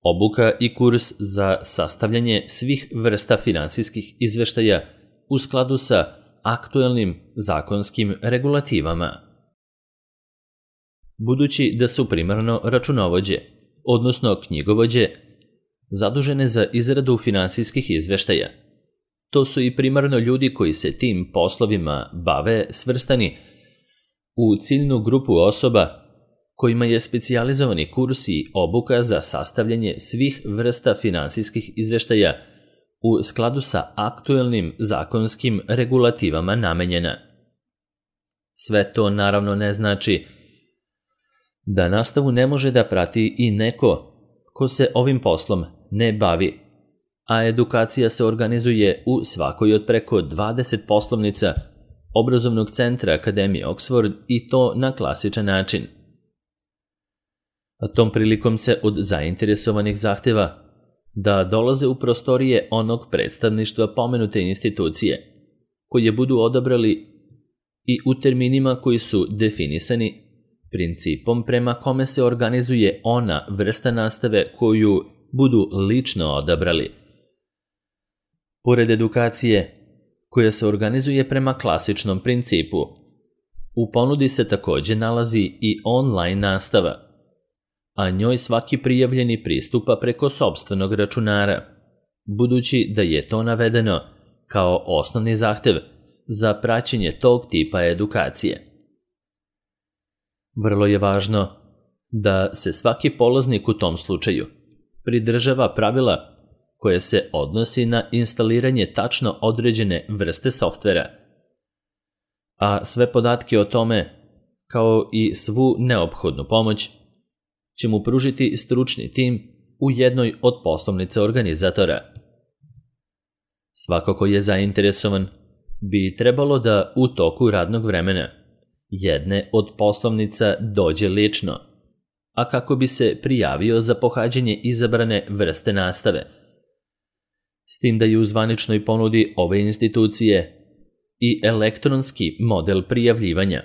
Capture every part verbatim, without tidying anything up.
obuka i kurs za sastavljanje svih vrsta finansijskih izveštaja u skladu sa aktuelnim zakonskim regulativama. Budući da su primarno računovođe, odnosno knjigovođe, zadužene za izradu finansijskih izveštaja, to su i primarno ljudi koji se tim poslovima bave svrstani u ciljnu grupu osoba kojima je specijalizovani kurs i obuka za sastavljanje svih vrsta finansijskih izveštaja u skladu sa aktuelnim zakonskim regulativama namenjena. Sve to naravno ne znači da nastavu ne može da prati i neko ko se ovim poslom ne bavi, a edukacija se organizuje u svakoj od preko dvadeset poslovnica obrazovnog centra Akademije Oxford i to na klasičan način. A tom prilikom se od zainteresovanih zahteva da dolaze u prostorije onog predstavništva pomenute institucije, koje budu odabrali i u terminima koji su definisani principom prema kome se organizuje ona vrsta nastave koju budu lično odabrali. Pored edukacije, koja se organizuje prema klasičnom principu, u ponudi se takođe nalazi i online nastava, a njoj svaki prijavljeni pristupa preko sopstvenog računara, budući da je to navedeno kao osnovni zahtev za praćenje tog tipa edukacije. Vrlo je važno da se svaki polaznik u tom slučaju pridržava pravila koje se odnosi na instaliranje tačno određene vrste softvera, a sve podatke o tome, kao i svu neophodnu pomoć, će mu pružiti stručni tim u jednoj od poslovnica organizatora. Svako ko je zainteresovan bi trebalo da u toku radnog vremena jedne od poslovnica dođe lično, a kako bi se prijavio za pohađanje izabrane vrste nastave, s tim da je u zvaničnoj ponudi ove institucije i elektronski model prijavljivanja,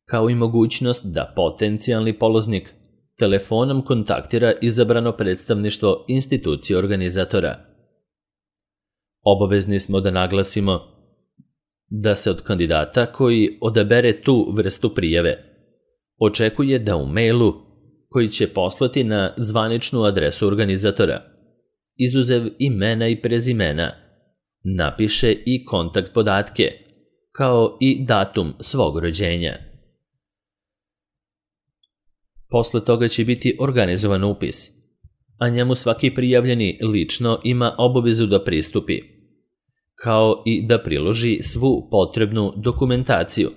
kao i mogućnost da potencijalni polaznik telefonom kontaktira izabrano predstavništvo institucije organizatora. Obavezni smo da naglasimo da se od kandidata koji odabere tu vrstu prijave očekuje da u mailu koji će poslati na zvaničnu adresu organizatora, izuzev imena i prezimena, napiše i kontakt podatke, kao i datum svog rođenja. Posle toga će biti organizovan upis, a njemu svaki prijavljeni lično ima obavezu da pristupi, kao i da priloži svu potrebnu dokumentaciju.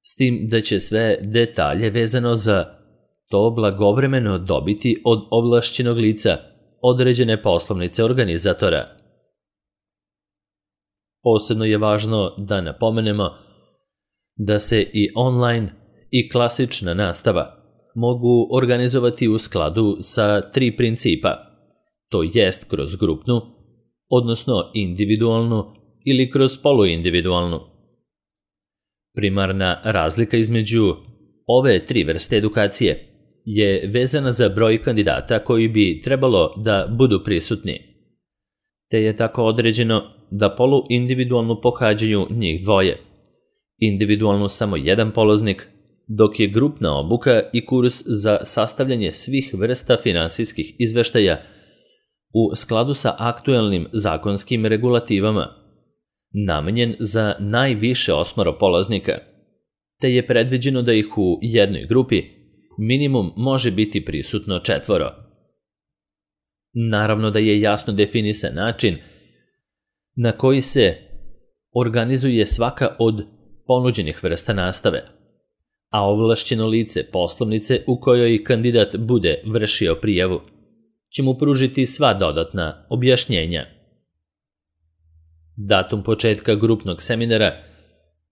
S tim da će sve detalje vezano za to blagovremeno dobiti od ovlašćenog lica određene poslovnice organizatora. Posebno je važno da napomenemo da se i online i klasična nastava mogu organizovati u skladu sa tri principa, to jest kroz grupnu, odnosno individualnu ili kroz poluindividualnu. Primarna razlika između ove tri vrste edukacije je vezana za broj kandidata koji bi trebalo da budu prisutni, te je tako određeno da poluindividualnu pohađaju njih dvoje, individualnu samo jedan polaznik, dok je grupna obuka i kurs za sastavljanje svih vrsta finansijskih izveštaja u skladu sa aktuelnim zakonskim regulativama namenjen za najviše osmoro polaznika, te je predviđeno da ih u jednoj grupi minimum može biti prisutno četvoro. Naravno da je jasno definisan način na koji se organizuje svaka od ponuđenih vrsta nastave, a ovlašćeno lice poslovnice u kojoj kandidat bude vršio prijavu će mu pružiti sva dodatna objašnjenja. Datum početka grupnog seminara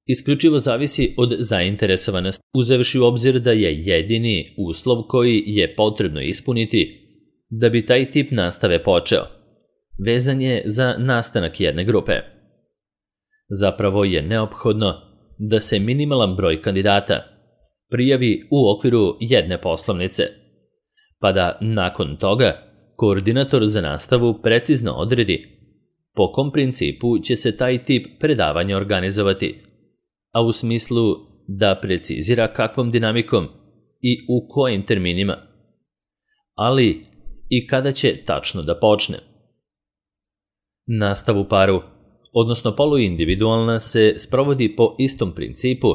isključivo zavisi od zainteresovanosti, uzevši u obzir da je jedini uslov koji je potrebno ispuniti da bi taj tip nastave počeo vezan je za nastanak jedne grupe. Zapravo je neophodno da se minimalan broj kandidata prijavi u okviru jedne poslovnice, pa da nakon toga koordinator za nastavu precizno odredi po kom principu će se taj tip predavanja organizovati, a u smislu da precizira kakvom dinamikom i u kojim terminima, ali i kada će tačno da počne. Nastavu paru, odnosno poluindividualna, se sprovodi po istom principu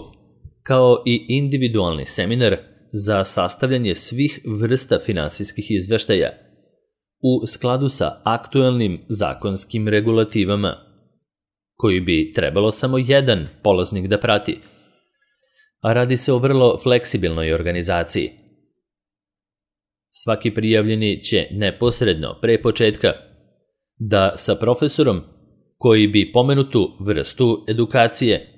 kao i individualni seminar za sastavljanje svih vrsta finansijskih izveštaja u skladu sa aktuelnim zakonskim regulativama, koji bi trebalo samo jedan polaznik da prati, a radi se o vrlo fleksibilnoj organizaciji. Svaki prijavljeni će neposredno pre početka da sa profesorom koji bi pomenutu vrstu edukacije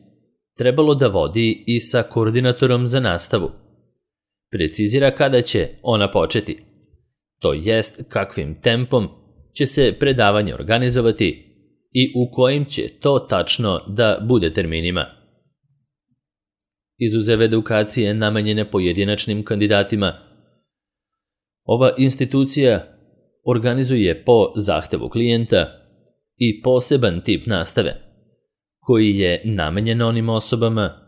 trebalo da vodi i sa koordinatorom za nastavu precizira kada će ona početi, to jest kakvim tempom će se predavanje organizovati i u kojim će to tačno da bude terminima. Izuzev edukacije namenjene pojedinačnim kandidatima, ova institucija organizuje po zahtevu klijenta i poseban tip nastave, koji je namenjen onim osobama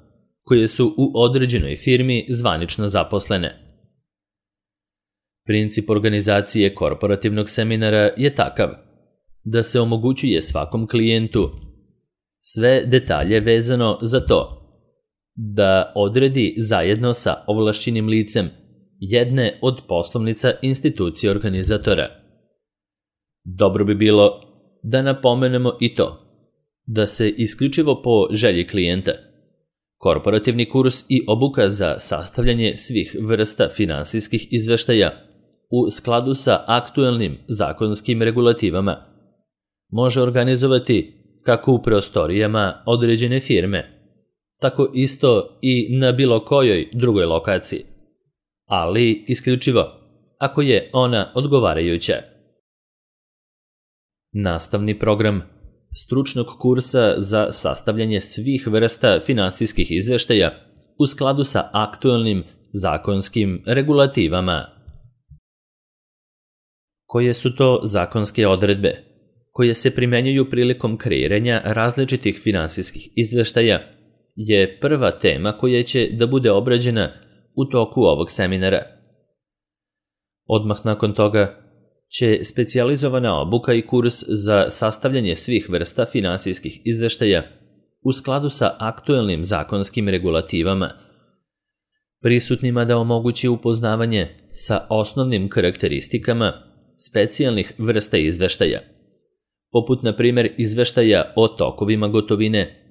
koje su u određenoj firmi zvanično zaposlene. Princip organizacije korporativnog seminara je takav da se omogućuje svakom klijentu sve detalje vezano za to da odredi zajedno sa ovlašćenim licem jedne od poslovnica institucije organizatora. Dobro bi bilo da napomenemo i to da se isključivo po želji klijenta korporativni kurs i obuka za sastavljanje svih vrsta finansijskih izveštaja u skladu sa aktuelnim zakonskim regulativama može organizovati kako u prostorijama određene firme, tako isto i na bilo kojoj drugoj lokaciji, ali isključivo ako je ona odgovarajuća. Nastavni program stručnog kursa za sastavljanje svih vrsta finansijskih izveštaja u skladu sa aktuelnim zakonskim regulativama. Koje su to zakonske odredbe koje se primenjuju prilikom kreiranja različitih finansijskih izveštaja je prva tema koja će da bude obrađena u toku ovog seminara. Odmah nakon toga će specijalizovana obuka i kurs za sastavljanje svih vrsta finansijskih izveštaja u skladu sa aktuelnim zakonskim regulativama prisutnima da omogući upoznavanje sa osnovnim karakteristikama specijalnih vrsta izveštaja, poput na primjer izveštaja o tokovima gotovine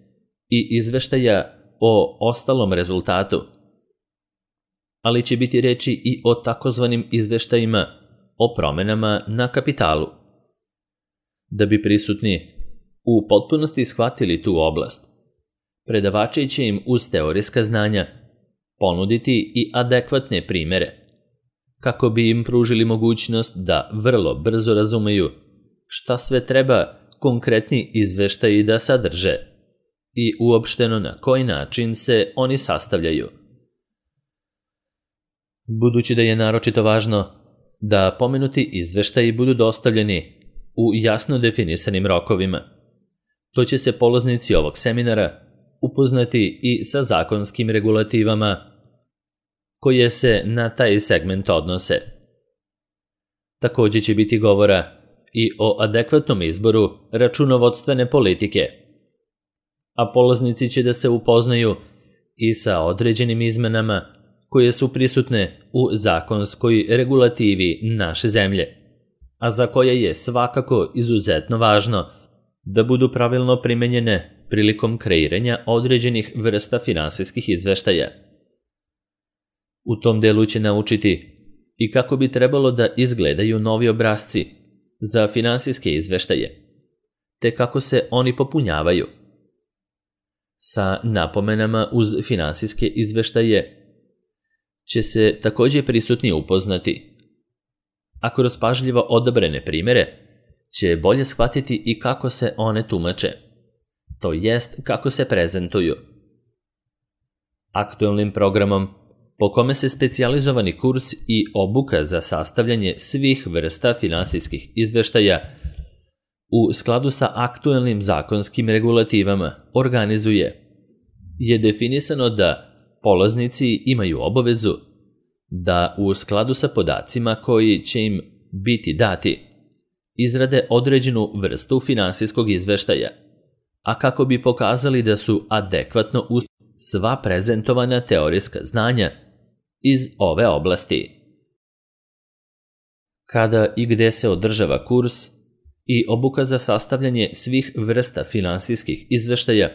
i izveštaja o ostalom rezultatu, ali će biti reči i o takozvanim izveštajima o promenama na kapitalu. Da bi prisutni u potpunosti shvatili tu oblast, predavači će im uz teorijska znanja ponuditi i adekvatne primere, kako bi im pružili mogućnost da vrlo brzo razumeju šta sve treba konkretni izveštaji da sadrže i uopšteno na koji način se oni sastavljaju. Budući da je naročito važno da pomenuti izveštaji budu dostavljeni u jasno definisanim rokovima, to će se polaznici ovog seminara upoznati i sa zakonskim regulativama koje se na taj segment odnose. Također će biti govora i o adekvatnom izboru računovodstvene politike, a polaznici će da se upoznaju i sa određenim izmenama koje su prisutne u zakonskoj regulativi naše zemlje, a za koje je svakako izuzetno važno da budu pravilno primenjene prilikom kreiranja određenih vrsta finansijskih izveštaja. U tom delu će naučiti i kako bi trebalo da izgledaju novi obrasci za finansijske izveštaje, te kako se oni popunjavaju. Sa napomenama uz finansijske izveštaje će se također prisutni upoznati, a kroz pažljivo odabrane primere će bolje shvatiti i kako se one tumače, to jest kako se prezentuju. Aktuelnim programom po kome se specijalizovani kurs i obuka za sastavljanje svih vrsta finansijskih izveštaja u skladu sa aktuelnim zakonskim regulativama organizuje, je definisano da polaznici imaju obavezu da u skladu sa podacima koji će im biti dati izrade određenu vrstu finansijskog izveštaja, a kako bi pokazali da su adekvatno uz sva prezentovana teorijska znanja iz ove oblasti. Kada i gde se održava kurs i obuka za sastavljanje svih vrsta finansijskih izveštaja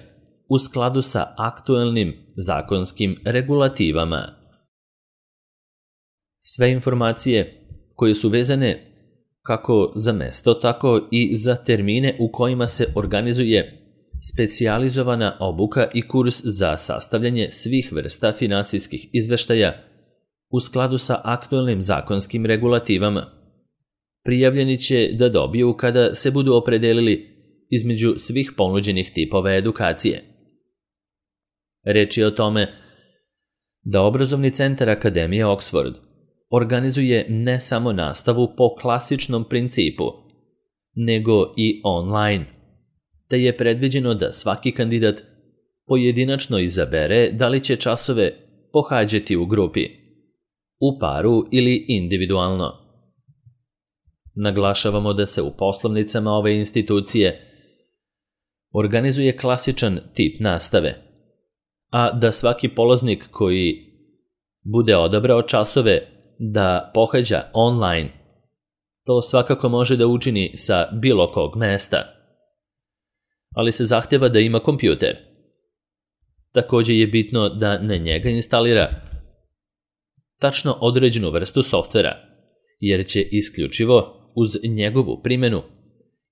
u skladu sa aktuelnim zakonskim regulativama. Sve informacije koje su vezane kako za mesto, tako i za termine u kojima se organizuje specijalizovana obuka i kurs za sastavljanje svih vrsta finansijskih izveštaja u skladu sa aktuelnim zakonskim regulativama, prijavljeni će da dobiju kada se budu opredelili između svih ponuđenih tipova edukacije. Reč je o tome da obrazovni centar Akademije Oxford organizuje ne samo nastavu po klasičnom principu, nego i online, te je predviđeno da svaki kandidat pojedinačno izabere da li će časove pohađati u grupi, u paru ili individualno. Naglašavamo da se u poslovnicama ove institucije organizuje klasičan tip nastave, a da svaki polaznik koji bude odabrao časove da pohađa online, to svakako može da učini sa bilo kog mesta, ali se zahtjeva da ima kompjuter. Također je bitno da na njega instalira tačno određenu vrstu softvera, jer će isključivo uz njegovu primjenu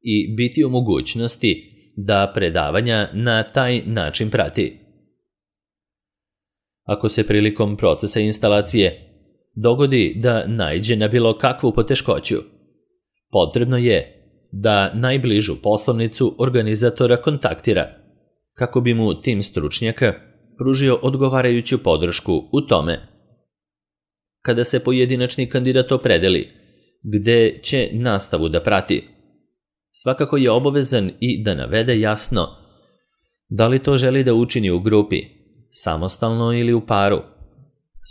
i biti u mogućnosti da predavanja na taj način prati. Ako se prilikom procesa instalacije dogodi da naiđe na bilo kakvu poteškoću, potrebno je da najbližu poslovnicu organizatora kontaktira, kako bi mu tim stručnjaka pružio odgovarajuću podršku u tome. Kada se pojedinačni kandidat opredeli gde će nastavu da prati, svakako je obavezan i da navede jasno da li to želi da učini u grupi, samostalno ili u paru,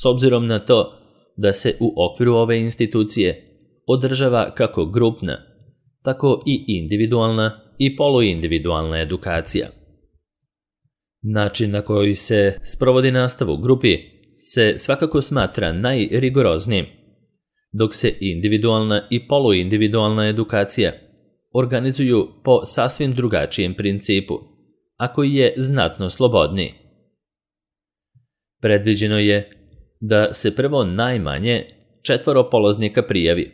s obzirom na to da se u okviru ove institucije održava kako grupna, tako i individualna i poluindividualna edukacija. Način na koji se sprovodi nastava u grupi se svakako smatra najrigoroznijim, dok se individualna i poluindividualna edukacija organizuju po sasvim drugačijem principu, a koji je znatno slobodniji. Predviđeno je da se prvo najmanje četvoro polaznika prijavi,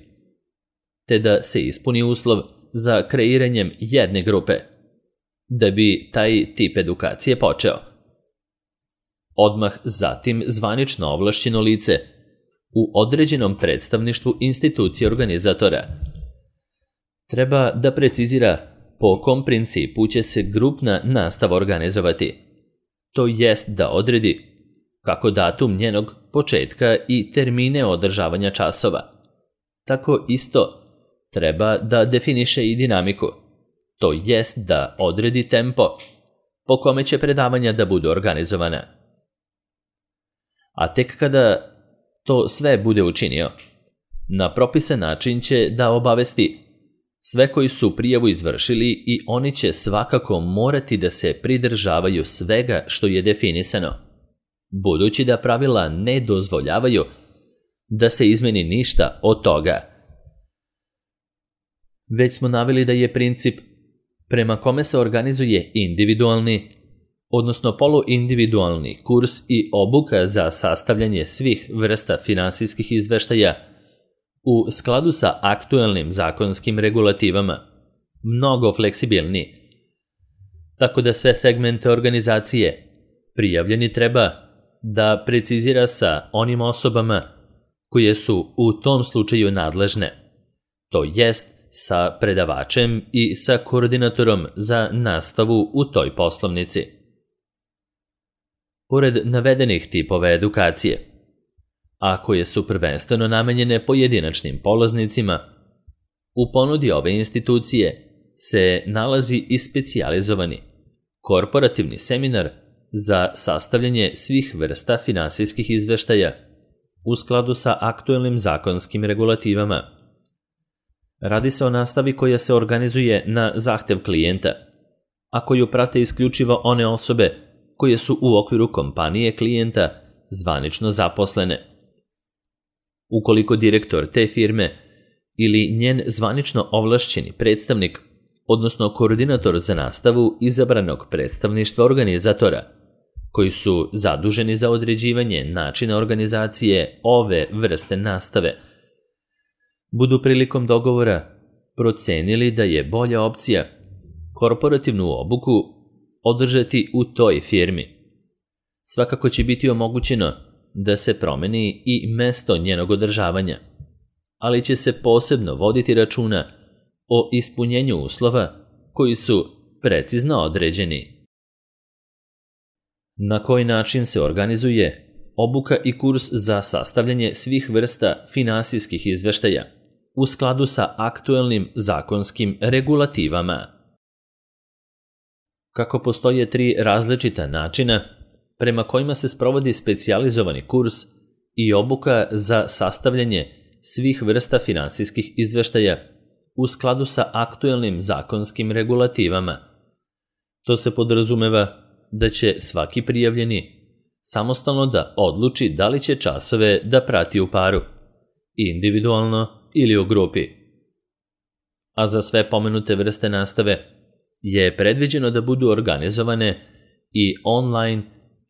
te da se ispuni uslov za kreiranjem jedne grupe, da bi taj tip edukacije počeo. Odmah zatim zvanično ovlašćeno lice u određenom predstavništvu institucije organizatora treba da precizira po kom principu će se grupna nastava organizovati, to jest da odredi kako datum njenog početka i termine održavanja časova. Tako isto treba da definiše i dinamiku, to jest da odredi tempo po kome će predavanja da budu organizovana. A tek kada to sve bude učinio, na propisan način će da obavesti sve koji su prijavu izvršili i oni će svakako morati da se pridržavaju svega što je definisano, budući da pravila ne dozvoljavaju da se izmeni ništa od toga. Već smo naveli da je princip prema kome se organizuje individualni, odnosno poluindividualni kurs i obuka za sastavljanje svih vrsta finansijskih izveštaja u skladu sa aktuelnim zakonskim regulativama mnogo fleksibilniji, tako da sve segmente organizacije prijavljeni treba da precizira sa onim osobama koje su u tom slučaju nadležne, to jest sa predavačem i sa koordinatorom za nastavu u toj poslovnici. Pored navedenih tipova edukacije, a koje su prvenstveno namenjene pojedinačnim polaznicima, u ponudi ove institucije se nalazi i specijalizovani korporativni seminar za sastavljanje svih vrsta finansijskih izveštaja u skladu sa aktuelnim zakonskim regulativama. Radi se o nastavi koja se organizuje na zahtev klijenta, a koju prate isključivo one osobe koje su u okviru kompanije klijenta zvanično zaposlene. Ukoliko direktor te firme ili njen zvanično ovlašćeni predstavnik, odnosno koordinator za nastavu izabranog predstavništva organizatora, koji su zaduženi za određivanje načina organizacije ove vrste nastave, budu prilikom dogovora procenili da je bolja opcija korporativnu obuku održati u toj firmi. Svakako će biti omogućeno da se promeni i mesto njenog održavanja, ali će se posebno voditi računa o ispunjenju uslova koji su precizno određeni. Na koji način se organizuje obuka i kurs za sastavljanje svih vrsta finansijskih izveštaja u skladu sa aktuelnim zakonskim regulativama? Kako postoje tri različita načina prema kojima se sprovodi specijalizovani kurs i obuka za sastavljanje svih vrsta finansijskih izveštaja u skladu sa aktuelnim zakonskim regulativama. To se podrazumeva da će svaki prijavljeni samostalno da odluči da li će časove da prati u paru, individualno ili u grupi. A za sve pomenute vrste nastave je predviđeno da budu organizovane i online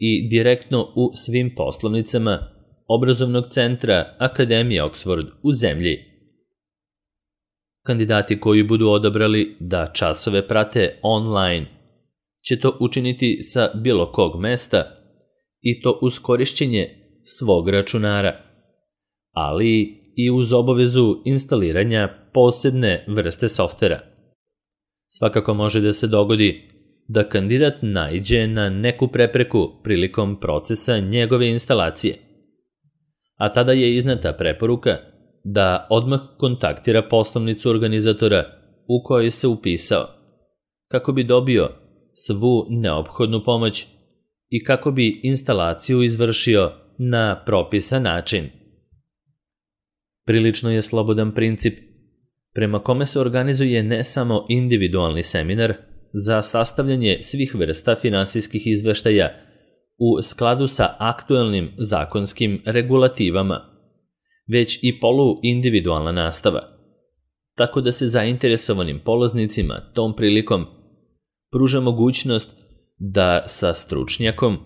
i direktno u svim poslovnicama obrazovnog centra Akademije Oxford u zemlji. Kandidati koji budu odabrali da časove prate online će to učiniti sa bilo kog mesta i to uz korišćenje svog računara, ali i uz obavezu instaliranja posebne vrste softvera. Svakako može da se dogodi da kandidat naiđe na neku prepreku prilikom procesa njegove instalacije, a tada je izneta preporuka da odmah kontaktira poslovnicu organizatora u kojoj se upisao, kako bi dobio svu neophodnu pomoć i kako bi instalaciju izvršio na propisan način. Prilično je slobodan princip prema kome se organizuje ne samo individualni seminar za sastavljanje svih vrsta finansijskih izveštaja u skladu sa aktuelnim zakonskim regulativama, već i poluindividualna nastava, tako da se zainteresovanim polaznicima tom prilikom pruža mogućnost da sa stručnjakom,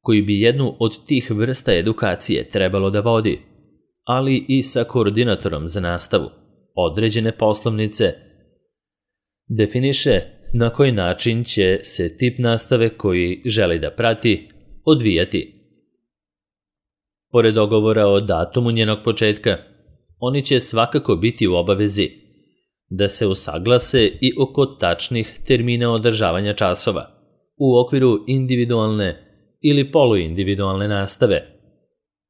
koji bi jednu od tih vrsta edukacije trebalo da vodi, ali i sa koordinatorom za nastavu određene poslovnice, definiše na koji način će se tip nastave koji želi da prati odvijati. Pored dogovora o datumu njenog početka, oni će svakako biti u obavezi da se usaglase i oko tačnih termina održavanja časova u okviru individualne ili poluindividualne nastave,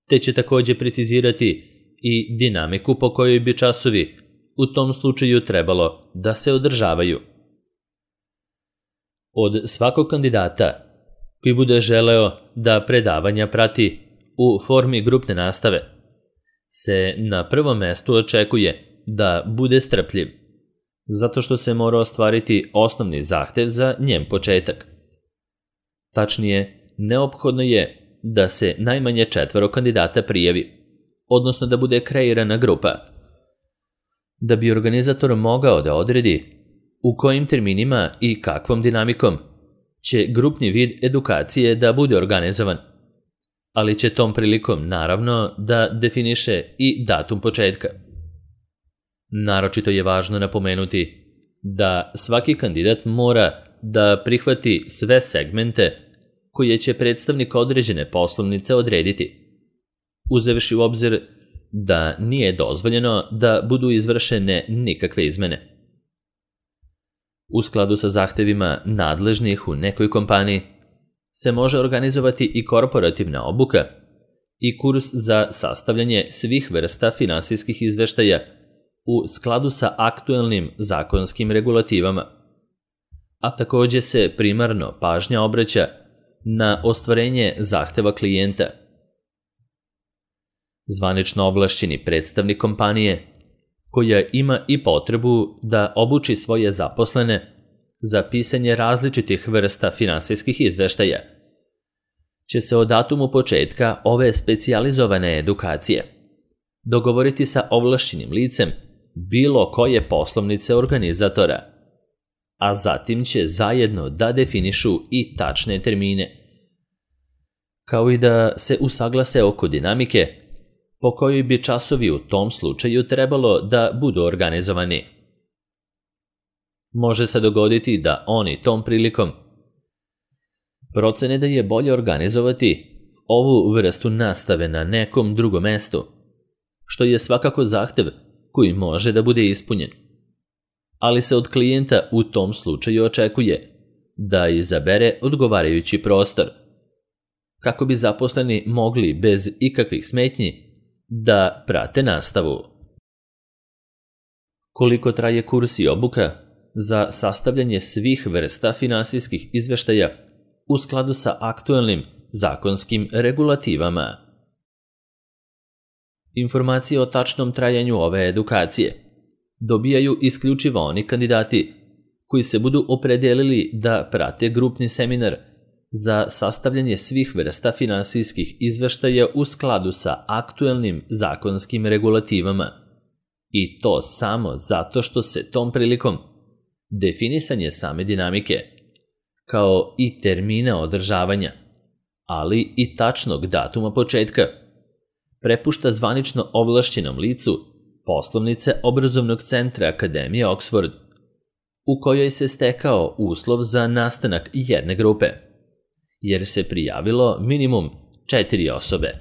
te će također precizirati i dinamiku po kojoj bi časovi u tom slučaju trebalo da se održavaju. Od svakog kandidata koji bude želeo da predavanja prati u formi grupne nastave se na prvom mestu očekuje da bude strpljiv, zato što se mora ostvariti osnovni zahtev za njen početak. Tačnije, neophodno je da se najmanje četvoro kandidata prijavi, odnosno da bude kreirana grupa, da bi organizator mogao da odredi u kojim terminima i kakvom dinamikom će grupni vid edukacije da bude organizovan, ali će tom prilikom naravno da definiše i datum početka. Naročito je važno napomenuti da svaki kandidat mora da prihvati sve segmente koje će predstavnik određene poslovnice odrediti, uzevši u obzir da nije dozvoljeno da budu izvršene nikakve izmene. U skladu sa zahtevima nadležnih u nekoj kompaniji se može organizovati i korporativna obuka i kurs za sastavljanje svih vrsta finansijskih izveštaja u skladu sa aktuelnim zakonskim regulativama. A također se primarno pažnja obraća na ostvarenje zahteva klijenta. Zvanično ovlašćeni predstavnik kompanije, koja ima i potrebu da obuči svoje zaposlene za pisanje različitih vrsta finansijskih izveštaja, će se o datumu početka ove specijalizovane edukacije dogovoriti sa ovlašćenim licem bilo koje poslovnice organizatora, a zatim će zajedno da definišu i tačne termine, kao i da se usaglase oko dinamike po kojoj bi časovi u tom slučaju trebalo da budu organizovani. Može se dogoditi da oni tom prilikom procene da je bolje organizovati ovu vrstu nastave na nekom drugom mestu, što je svakako zahtev koji može da bude ispunjen. Ali se od klijenta u tom slučaju očekuje da izabere odgovarajući prostor, kako bi zaposleni mogli bez ikakvih smetnji da prate nastavu. Koliko traje kurs i obuka za sastavljanje svih vrsta finansijskih izveštaja u skladu sa aktuelnim zakonskim regulativama? Informacije o tačnom trajanju ove edukacije dobijaju isključivo oni kandidati koji se budu opredelili da prate grupni seminar za sastavljanje svih vrsta finansijskih izveštaja u skladu sa aktuelnim zakonskim regulativama, i to samo zato što se tom prilikom definisanje same dinamike, kao i termina održavanja, ali i tačnog datuma početka, prepušta zvanično ovlašćenom licu poslovnice obrazovnog centra Akademije Oxford, u kojoj se stekao uslov za nastanak jedne grupe, jer se prijavilo minimum četiri osobe.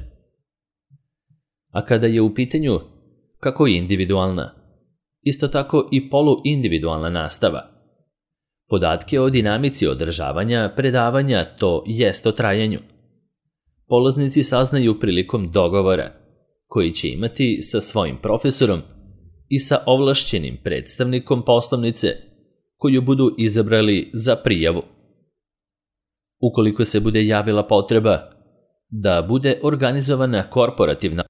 A kada je u pitanju kako individualna, isto tako i poluindividualna nastava, podatke o dinamici održavanja predavanja, to jest o trajanju, polaznici saznaju prilikom dogovora koji će imati sa svojim profesorom i sa ovlašćenim predstavnikom poslovnice koju budu izabrali za prijavu. Ukoliko se bude javila potreba da bude organizovana korporativna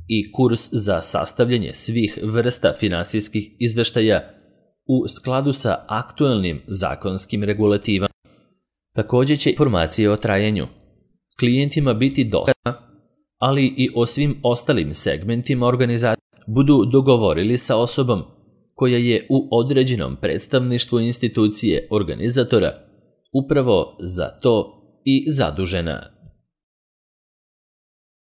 i kurs za sastavljanje svih vrsta finansijskih izveštaja u skladu sa aktuelnim zakonskim regulativama, također će informacije o trajanju klijentima biti dostupne, ali i o svim ostalim segmentima organizacije budu dogovorili sa osobom koja je u određenom predstavništvu institucije organizatora upravo za to i zadužena.